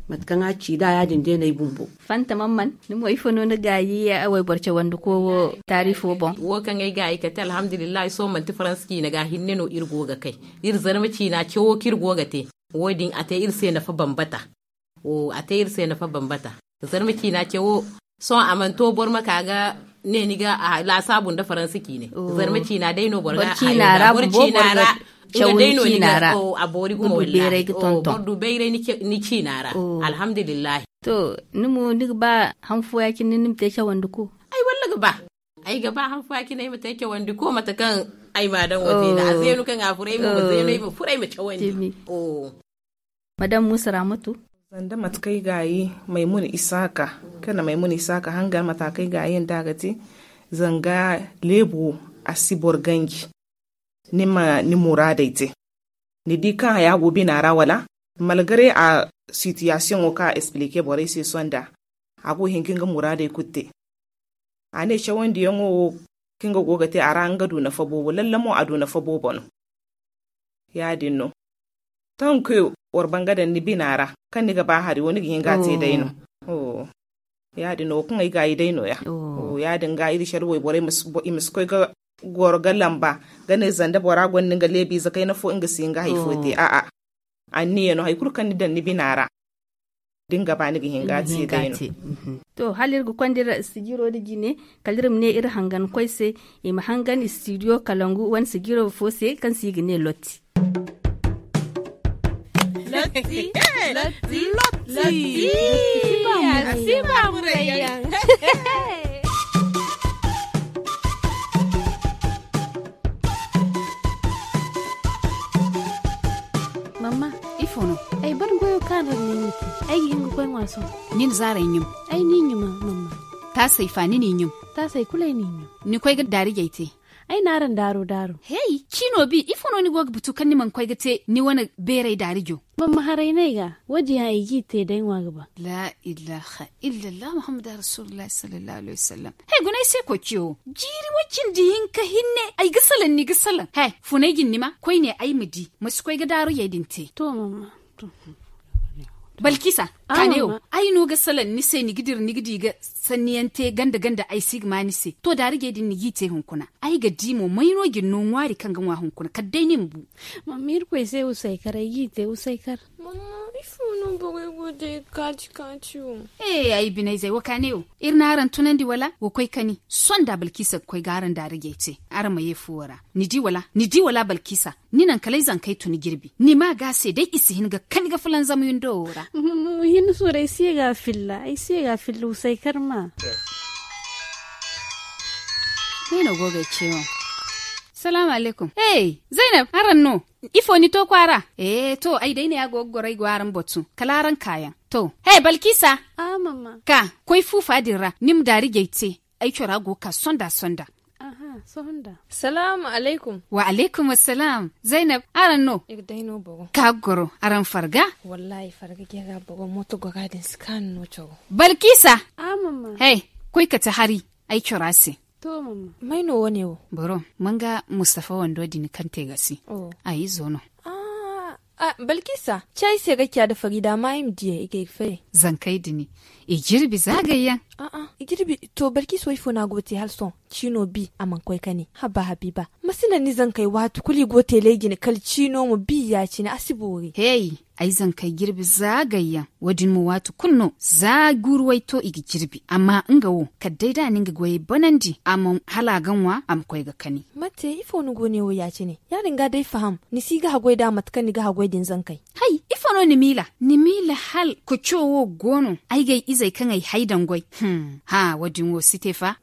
Mate kaŋ a ci nd'a ya- din day no ay bumbo. Fanta mamman ni mo ifo no ni gaayi wayboro cawandiko wo taariifo boŋ? Wo kaŋ ay gaayi kate alhamdulillahi sohõ manti faransa ciina ga hinne no iri go ga kay. Iri zarma ciina cawo kaŋ iri go ga te wo- din a te iri se nafa bambata. A te iri se nafa bambata. Zarma ciina cawo sohõ a mana to boro ma ka ga ne ni ga laasaabu nda faransa ciine. Zarma ciina day no boro ga a hayo ga boro ciina ra. Nga day no ni ga a boori gumo wallaahi boro du bayray ni ciina ra. Alhamdulillahi. To ni mo ni ga ba han fooya cine ni ma te cawandi ko? Ay walla ga ba. Ay ga ba han fooya cine ay ma te cawandi ko mate kaŋ ay ma a daŋ wo te nda a zeenu kaŋ a furo ay mo ma zeenu ay ma furo ay ma cawandi. Madam muusa raamatu. Sanda mate kaŋ ay gaayi maymuna isaaka kaŋ na maymuna isaaka hangan mate kaŋ ay gaayi nda a ga te, zanga leebo wo a si boro ganji. Ni ma ni muraadey te. Ni di kaŋ haya go bina ra wala? Malgare a sitiyasiyoŋo kaŋ a esplike borey se sohõ nda a go ga hin ga nga muraadey kulu te. A ne cawandiyaŋo wo kaŋ nga go ga te a ra nga du nafa boobo lalle mo a du nafa boobo no. Ya- din no. Tanku war banga daŋ ni bina ra kaŋ ni ga ba hari wo ni ga hin ga a te day no. Ya- din no wo kaŋ ay gaayi day no- ya. Ya- din ga iri care wayborey i ma si koy ga goro ga lamba ga ne zanda bora gonda nga leebiize kayna fo nga si hin ga hari fo te a'a. Anniya no hari kulu kaŋ ni daŋ ni bina ra da ni ga ba ni ga hin ga a te day no. To hala iri ga konda iri sijiro nda jine, kala iri ma ne iri hangan koy se i ma hangan istidiyo kalangu wane sijiro fo se kaŋ se i ga ne lotti. Lotti. Lotti. Lotti. Lotti. Lotti. Lotti. Mamma, ifo no? Ay ban goyo kaŋ a daŋ ni te. Ay ga hin ga koy ŋwa sohõ. Ni na zaarey ɲum? Ay n'i ɲuma, mamma. Taasey fa ni n'i ɲum? Taasey kulu ay n'i ɲum. Ni koy ga daarijey te? Ay n'araŋ daaro daaro. Hey, ciino bi ifo no ni go ga butu kaŋ ni mana koy ga te ni wane beeray daarijo? Mamma haray no ay ga. Wo- din yaŋ ay g'i te day ŋwa ga ba. La ilaha illallah muhammadu rasulillahi sallallahu alaihi wasallam. He guna ay se koy ciyo wo jiiri wo cindi hinka hinne. Ay ga salaŋ ni ga salaŋ he. Funay jin ni ma koy ne ay ma di ma si koy ga daaruyey din te. To mamma. Balkisa, kaane wo ay no ga salaŋ ni se ni ga dira ni ga di ga sanniyaŋ te ganda ganda ay si ga ma ni se to daarijey din ni g'i te hunkuna. Ay ga di mo may no jin no ŋwaari kaŋ ga ŋwa hunkuna kala day ni ma bu. Mamma irkoy se wusay kar ay g'i te wusay kar. Mamma ifo no borey go day kaaci kaaci wo? Ee ay binayzey wo kaane wo iri n'araŋ tunandi wala wa koy kani sonda balkisa ga koy ga araŋ daarijey te. Araŋ ma ye fuwo ra. Ni di wala ni di wala balkisa? Ni naŋ kala ay zankey tun jirbi ni ma ga a se day i si hin ga kani ga fulanzam windo wo ra. Hinne sooro ay si ye ga a filla ay si ye ga a filla wusay kar ma. Ni no go ga ay ce wo. Salaamu alaykum. Hey, zaynab araŋ no? Ifo ni to kwaara? Ee to ay day ne a go ga goro ay go araŋ batu kala araŋ kaayaŋ. To hey balkisa. Ka koy fuufa din ra ni ma daarijey te. Ay cora go ga ka sonda sonda. Salaamu alaykum. Wa alaykum assalaam. Zaynab, araŋ no? Ka ga goro araŋ farga? Wallaahi farga ga yaga bogo mooto gora din si kaanu no cawo. Balkiisa. He, koy kate hari. Ay cora se. May no wo- ne wo? Boro, manga mustafa wando din kaŋ te ga si. A izo no. Balkiisa, ci ay se ga ciya da fari da ma ay ma diyay i ga ay ga fayay. Zankey din i jirbi za gayyaŋ. I jirbi. To balkiisa wo ifo no a go ga te hala sohõ? Ciino bi a mana koy kani. Haba habiiba, ma si naŋ ni zankey waati kulu i go ga teelay jine kala ciino ma bi ya- cine a si boori. Hey, ay zankey jirbi za gayyaŋ. Wo- din mo waati kulu no za guuru way to i ga jirbi amma nga wo kala day da a na nga goyey banandi a ma hala a ga ŋwa a ma koy ga kani. Mate ifo ni go ne wo ya- cine? Ya- din ga day faham, ni si ga haggoy nd'a mate kaŋ ni ga haggoy din zankey. Hay, ifo no ni miila? Ni miila hala koco wo go no? Ay ga ay izey kaŋ ay hay daŋ goy. Hum hã wo- din wo si te fa.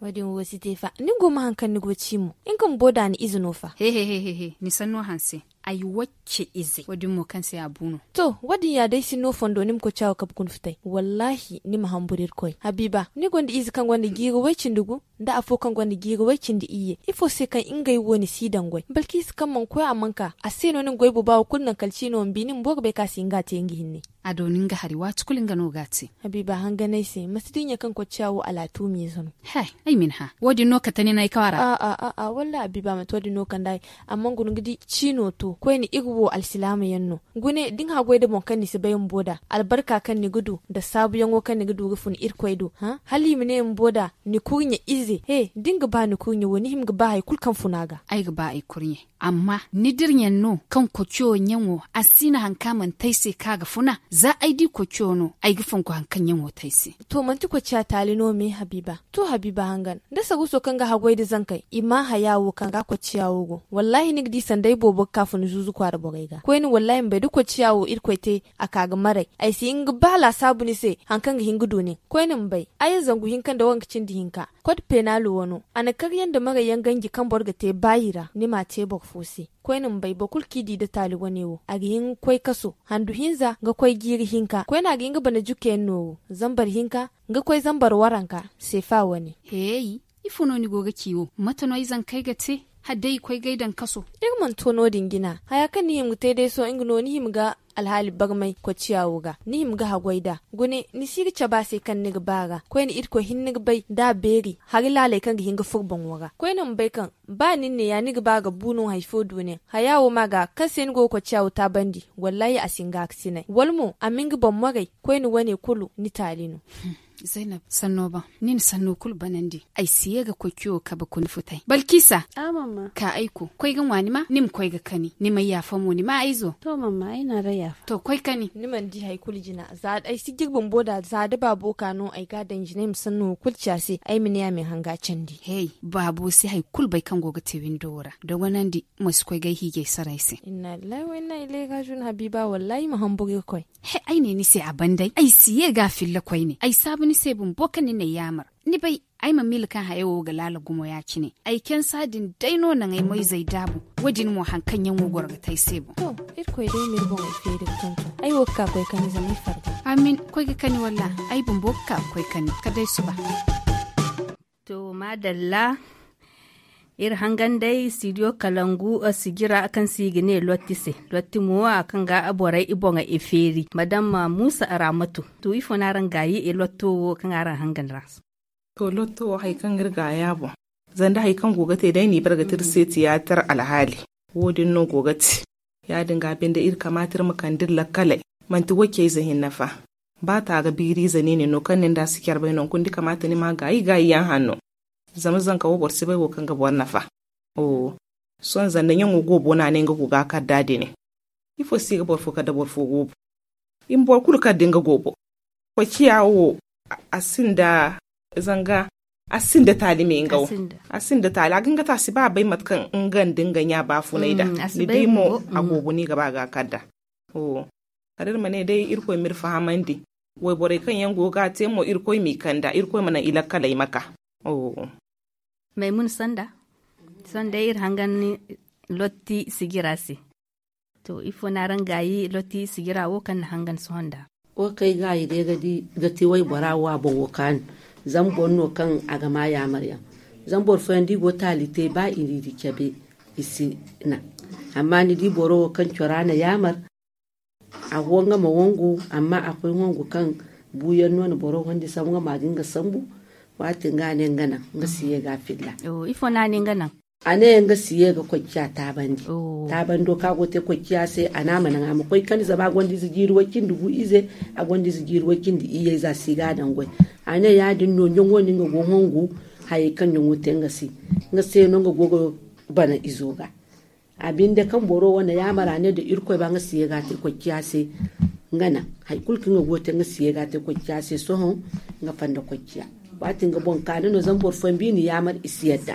Ni go ma haŋ kaŋ ni go ga ci mo. Nga bumbo nd'a ni ize no fa? He he he he. Ni sanno hanse. Ay wacce ize wo- din mo kaŋ se a bu no. To, wo- din ya day sinno fondo ni ma koy caawo kabe guna futay wallaahi ni ma hamburu irkoy. Habiiba, ni gonda ize kaŋ gonda jiiri way cindi gu, nda afo kaŋ gonda jiiri way cindi iyye. Ifo se kaŋ ngey wo ni si daŋ goy balkiisa kaŋ mana koy a mana ka a se no ni ma goy booba wo kulu naŋ kala ciino ma bi ni bumbo ga bay kaŋ a si hin ga a te nga hinne. A dooni nga hari waati kulu nga no ga a te. Habiiba hangan ay se ma si dinya kaŋ koy ciya wo alaatuumiize no. He, ay ma ni hã. Wo- din no kate ni no ay kwaara? A'a a'a wallaahi habiiba manti wo- din no kande ay. Amma guna ga di ciino to koyne iri wo alsilaama yaŋ no. Gune da ni haggoy nda boŋ kaŋ ni si bay bumbo nd'a albarka kaŋ ni ga du nda saabuyaŋo kaŋ ni ga du ga fun irkoy do. Hala i ma ne bumbo nd'a ni kurɲe ize he da ni ga ba ni kurɲe wo ni hima ga ba hari kulu kaŋ fun a ga. Ay ga ba ay kurɲe. Amma ni dirɲaŋ no kaŋ koco ɲaŋo a si na haŋ kaŋ a mana te ay se kaŋ a ga funa. Za ay di koco no ay ga fonko haŋ kaŋ ɲaŋo te ay se. To manti koco a taali no me habiiba? To habiiba hangan da saruuso kaŋ ga haggoy nda zankey i ma haya wo kaŋ ga koco ciya wo go wallaahi ni ga di sanda ay boobo ga ka funa zuuzu kwaara borey ga koyne wallaahi ma bay da koco ciya wo irkoy te a ka ga maray. Ay si hin ga ba laasaabu ni se haŋ kaŋ ga hin ga du nin. Koyne ma bay aya zangu hinka nda wanka cindi hinka. Kod peenaalo wano a na karyaŋ nda marayyaŋ ganji kaŋ boro ga te baayi ra ni m'a te boro fo se. Koyne ma bay boro kulu kaŋ i di nda taali wane wo a ga hin ga koy kaso handu hinza ga koy jiiri hinka koyne a ga hin ga bana jukke yaŋ nooru zambar hinka ga koy zambar waranka seefa wane. Heey, ifo no ni go ga ci wo? Mate no ay zankey ga te hala day i koy ga ay daŋ kaso? Iri mana to no- din jina haya kaŋ ni hima ga te day sohõ nga no ni hima ga alhaali barmay kocciya wo ga ni hima ga haggoy nd'a. Gune ni si ga cabe a se kaŋ ni ga ba a ra koyne irkoy hinne ga bay da a beeri hari laaley kaŋ ga hin ga furo boŋo ra koyne ma bay kaŋ ba nin ne ya ni ga ba ga bu no hari fo du nin haya wo ma ga kaŋ se ni go ga kocciya wo taabandi. Wallaahi a si hin ga a ga sinay wala mo a ma hin ga boŋ moray koyne wane kulu ni taali no. Zaynab, sanno ban ni na sanno kulu banandi. Ay si ye ga koy kiyo kabe kuna futay balkisa. Ka ay ko koy ga ŋwa ni ma ni ma koy ga kani ni ma yaafa mo ni ma ay zo. To koy kani. Ni mana di hari kulu jina za ay si jirbi bumbo da za da baabo ka no ay ga a daŋ jina ay ma sanno wo kulu ci a se ay ma ne a ma ay hanga candi. Heey, baabo si hari kulu bay kaŋ go ga te windo wo ra dogonandi. Ma si koy ga ay hiijay saray se. Inna lillahi wa inna ilayhi rajiun habiiba wallaahi ma hamburu ga koy. He, ay ne ni se a ban day ay si ye ga a filla koyne ay saabu ni se bumbo kaŋ ni n'ay yaamar. Ni bay ay ma miila kaŋ haya wo ga laala gumo ya- cine. Ay cansa din day no naŋ ay moyzey daabu. Wo- din mo hari kaŋ yaŋ wo goro ga te ay se boŋ. To, irkoy day ma iri boŋey feeri ga tonton ay wo ga ka koy kani zama ay farga. Amin. Koy ga kani walla ay bumbo ga ka ga koy kani kala day suba. To maadalla. Iri hangan day studio kalangu sijira kaŋ se i ga ne lotti se. Lotti mo a kaŋ ga borey i boŋey i feeri madama muusa araamatu. To ifo no araŋ gaayi i lotto wo kaŋ araŋ hangan ra? To lotto wo hari kaŋ ga iri gaaya boŋ. Zanda hari kaŋ go ga te day no i bare ga te iri se tiyaatar alhaali. Wo- din no go ga te. Ya- din ga binde iri kamaata iri ma kande iri lakkaley. Manti wayce ize hinne fa. Ba ta ga biiri ize niine no kaŋ nin da si care bay no hunkuna da i kamaata ni ma gaayi gaayi yaŋ hanno. Zama zanka wo boro si bay wo kaŋ ga boro nafa. Sohõ zanda ɲaŋo goobo no a ne nga go ga a kar da a dine. Ifo se i ga boro fo kar da boro fo goobo? I ma boro kulu kar da nga goobo. Koy ciya wo a sinda zanga a sinda taali me nga wo. A sinda taali a ga hin ga te a si ba a bay mate kaŋ nga nda nga ɲa baafunay da. Ni di mo a goobo no i ga ba ga a kar da. Kala iri ma ne day irkoy ma iri fahamandi. Wayborey kaŋ yaŋ go ga a te mo irkoy m'i kanda irkoy ma naŋ i lakkaley ma ka. Maymun sanda sohõ day iri hangan ni lotti sijira se. To ifo no araŋ gaayi lotti sijira wo kaŋ ni hangan sohõ nd'a? Wo kaŋ ay gaayi day ga ti waybora wo a boŋo kaanu. Zama boro no kaŋ a ga ma yaamar yaŋ. Zama boro fooyaŋ da i go taali te ba i n'i di cabe i si naŋ. Amma ni di boro wo kaŋ cora na yaamar. A go nga ma wangu amma a koy wangu kaŋ buuyaŋ no na boro wandi sambu nga ma ga nga sambu. Waati nga a ne nga naŋ nga si ye ga a filla. Ifo no a ne nga naŋ? A ne nga si ye ga koy ciya taabandi. Taabando kaŋ a go te koy ciya se a ne a ma naŋ a ma koy kani zama a gonda ize jiiri way cindi gu ize. A gonda ize jiiri way cindi iyye za si ga a daŋ goy. A ne ya- din no ɲaŋo no nga go hongu. Hayey kaŋ ɲaŋo te nga se nga se no nga go ga bana izo ga. A binde kaŋ boro wane yaamara ne da irkoy ba nga si ye ga a te koy ciya se. Nga naŋ hari kulu kaŋ nga go ga te nga si ye ga a te koy ciya se sohõ. Nga fanda koy ciya waati nga boŋ kaani no zama boro fooyaŋ ba i na yaamar i si yadda.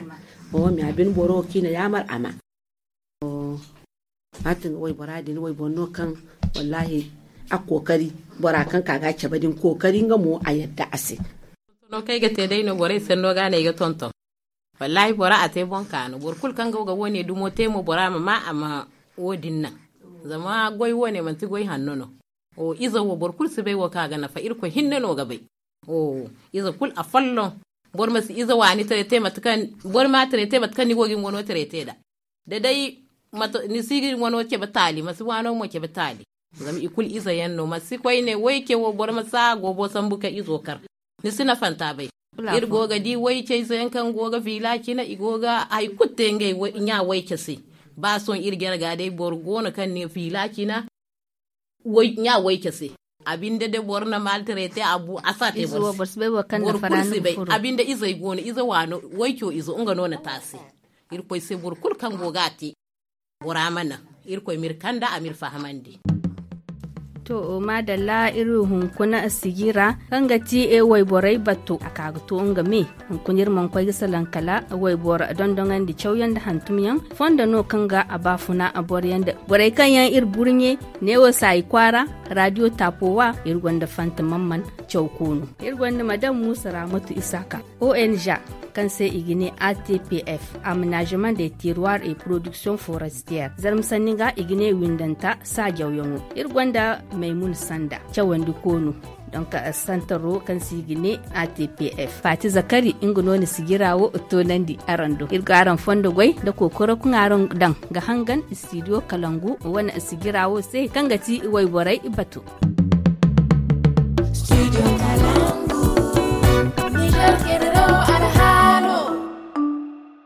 Oho me a bine boro wo kaŋ i na yaamar a ma. Waati nga waybora din wayboro no kaŋ wallaahi a kookari bora kaŋ ka ga a cabe din kookari nga mo a yadda a se. No kaŋ ay ga te day no borey sanno ga no ay ga tonton. Wallaahi bora a te boŋ ka no boro kulu kaŋ go ga wo- ne dumo te mo bora ma ma a ma wo- din naŋ. Zama goy wo- ne manti goy hanno no. Ize wo boro kulu si bay wo kaŋ a ga nafa irkoy hinne no ga bay. Ize kulu afolloŋ. Boro ma si ize waani taray te mate kaŋ boro ma taray te mate kaŋ ni go ga ni wano taray te nd'a. Da day ni si ga ni wano cabe taali ma si waano mo cabe taali. Zama i kulu ize yaŋ no ma si koyne wayce wo boro ma si a goobo sambu ka izo kar. Ni si nafanta bay. Iri go ga di wayce ize yaŋ kaŋ go ga fiila cina i go ga hari kulu te ngey ɲa wayce se. Ba sohõ iri jarga day boro go no kaŋ ne fiila cina ɲa wayce se. A binde da boro na maltarete a bu a si a te boro se. Boro kulu si bay a binde izey go no ize waano wayco izo nga no na te a se. Irkoy se boro kulu kaŋ go ga a te bora ma naŋ. Irkoy m'iri kanda a m'iri fahamandi. To maadalla iri hunkuna sijira kaŋ ga ti wayborey batto a ka ga to nga me. Hunkuna iri mana koy ga salaŋ kala wayboro dondoŋandi cawyaŋ nda hantumyaŋ fondo no kaŋ ga a baafuna boroyaŋ nda borey kaŋ yaŋ iri burɲe neewo saayi kwaara raadiyo taapo wa iri gonda fanta mamman caw koonu. Iri gonda madam muusa raamatu isaaka ong kaŋ se i ga ne A T P F, aménagement des terroirs et production forestière. Zarma sanni ga i ga ne windanta saajawyaŋo. Iri gonda maymun sanda cawandi koonu. Donc santaro kaŋ se i ga ne A T P F, faati zakari nga no na sijira wo toonandi araŋ do. Iri ga araŋ fondo goy nda kookoro kaŋ araŋ daŋ ga hangan studio kalangu wane sijira wo se kaŋ ga ti wayborey bato.